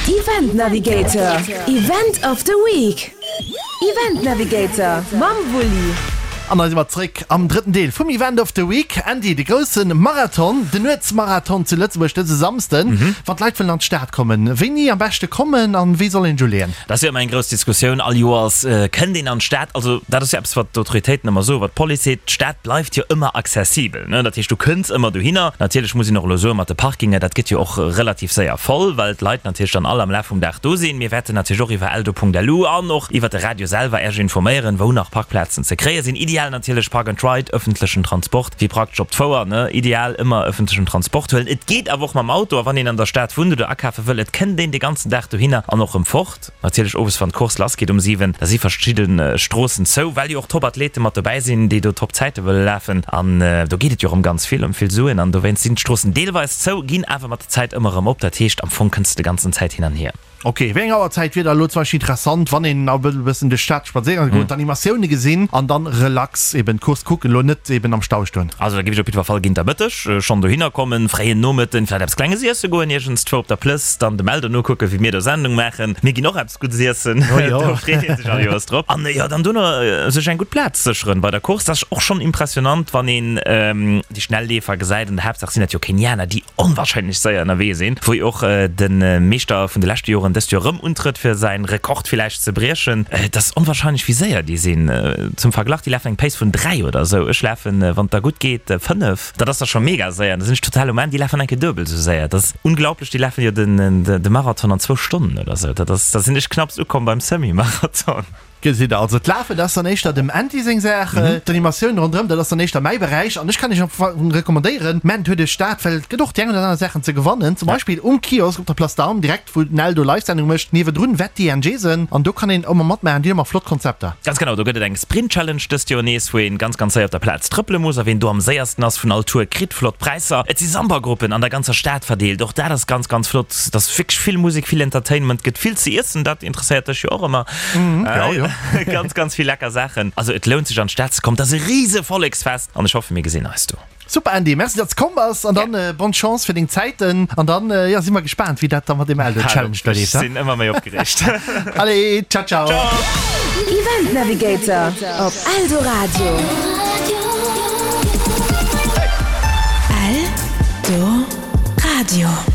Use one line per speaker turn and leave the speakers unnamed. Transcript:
Event Navigator, Event of the Week. Event Navigator mam Wulli.
An da si mer zréck am drëtten Deel vum Event of the Week. Andy, de grousse Marathon, den Nuetsmarathon zu Lëtzebuerg dëse Samsden. Wann d'Leit wëllen an d'Stad kommen, wéini am beschte kommen an wéi soll een sech uleeën?
Dat ass jo ëmmer eng grouss Diskussioun all Joers. Kënnt een an d'Stad? Also dat ass jo eppes, wat d'Autoritéiten ëmmer soen, wat d'Police seet, D'Stad bleift jo ëmmer accessibel. Dat heescht, du kënns ëmmer dohinner. Natierlech muss een och elo soen, mat de Parkinge, dat gëtt jo och relativ séier voll, well d'Leit natierlech dann all am Laf vum Dag do sinn. Mir wäerten natierlech och iwwer eldo.lu an och iwwer de Radio selwer Iech informéieren, wou nach Parkplazen ze kréie sinn. Ideal natierlech Park and Ride, ëffentlechen Transport, wéi praktesch op d'Fouer, ne? Ideal ëmmer ëffentlechen Transport huelen. Et geet awer och mam Auto a wann een an der Stad wunnt oder akafe wëll, et kënnt een de ganzen Dag dohinner an och rëm fort. Natierlech owes wann d'Course lass geet um 7, da si verschidde Stroossen zou, well jo och Top Athlete mat dobäi sinn, déi do Top Zäite wëlle lafen an do geet et jo och ëm ganz vill, ëm vill Suen an dowéinst sinn d'Stroossen deelweis zou, ginn awer mat der Zäit ëmmer erëm op. Dat heescht am Fong kënns de de ganzen Zäit hin an hier.
Ok, wéi eng Auerzäit wier da elo zum Beispill interessant, wann een e bëssen duerch d'Stad spadséiere goen, d'Animatioune gesinn an dann relax eben d'Course kucken, elo net eben am Stau stoen?
Also da géif ech op jiddwer Fall géint der Mëtteg schonn dohinner kommen, fréien Nomëtten, vläicht eppes Klenges iesse goen, iergendzwou op der Plëss, dann de Meldo nokucken, wéi mir do Sendung maachen. Mir ginn och eppes Guddes iessen, do freet ee sech all Joers drop. An jo, dann dono sech eng gutt Plaz sécheren bei der Course. Dat ass och schonn impressionant, wann een déi schnell Leefer gesäit. An der Haaptsaach sinn dat jo Kenianer, déi onwahrscheinlech séier ënnerwee sinn, wou jo och de Meeschter vun de leschte Joren dëst Joer erëm untrëtt, fir säin Rekord villäicht ze briechen. Et ass onwahrscheinlech, wéi séier déi sinn. Zum Verglach, déi lafen eng Pace vun 3 oder esou, ech lafen, wann et da gutt geet, 5. Dat ass da scho mega séier an da sinn ech total um Enn. Déi lafen eng Kéier duebel esou séier. Dat ass unglaublech, déi lafen jo de Marathon an zwou Stonnen oder esou. Dat ass, da sinn ech knapps ukomm beim Semi-Marathon.
Gesitt der, also d'Lafen, dat ass dann éischter dem Andy seng Saach, d'Animatioun ronderëm, dat ass dann éischter mäi Beräich an ech kann iech am Fong recommandéieren, mennt huet iech dat, well et gëtt och déi eng oder aner Saachen ze gewannen, zum Beispill um Kiosk op der Place d'Armes, direkt wou den Eldo Live-Sendung mécht, niewedrun Wetti an Jason an do kann een ëmmer matmaachen, déi hunn ëmmer flott Konzepter.
Ganz genau, do gëtt et eng Sprint-Challenge dëst Joer nees, wou een ganz ganz séier op der Plaz trëppele muss a ween do am séiersten ass vun all Tour kritt flott Präisser. Et si Samba-Gruppen an der ganzer Stad verdeelt, och dat ass ganz ganz flott, et ass wierklech vill Musek, vill Entertainment, gëtt vill ze iessen, dat interesséiert dech jo och ëmmer.
Ja, ja.
Ganz, ganz vill lecker Saachen. Also et lount sech an d'Stad ze kommen. Et ass e riese Volleksfest an ech hoffe mir gesinn eis do.
Super Andy, merci datts komm bass an dann bonne Chance fir deng Zäiten an dann jo si mer gespaant wéi dat da mat dem Eldo Challenge da
leeft. Ech sinn ëmmer méi opgereegt.
Allez, ciao ciao.
Ciao.
Event Navigator op Eldoradio. Eldoradio.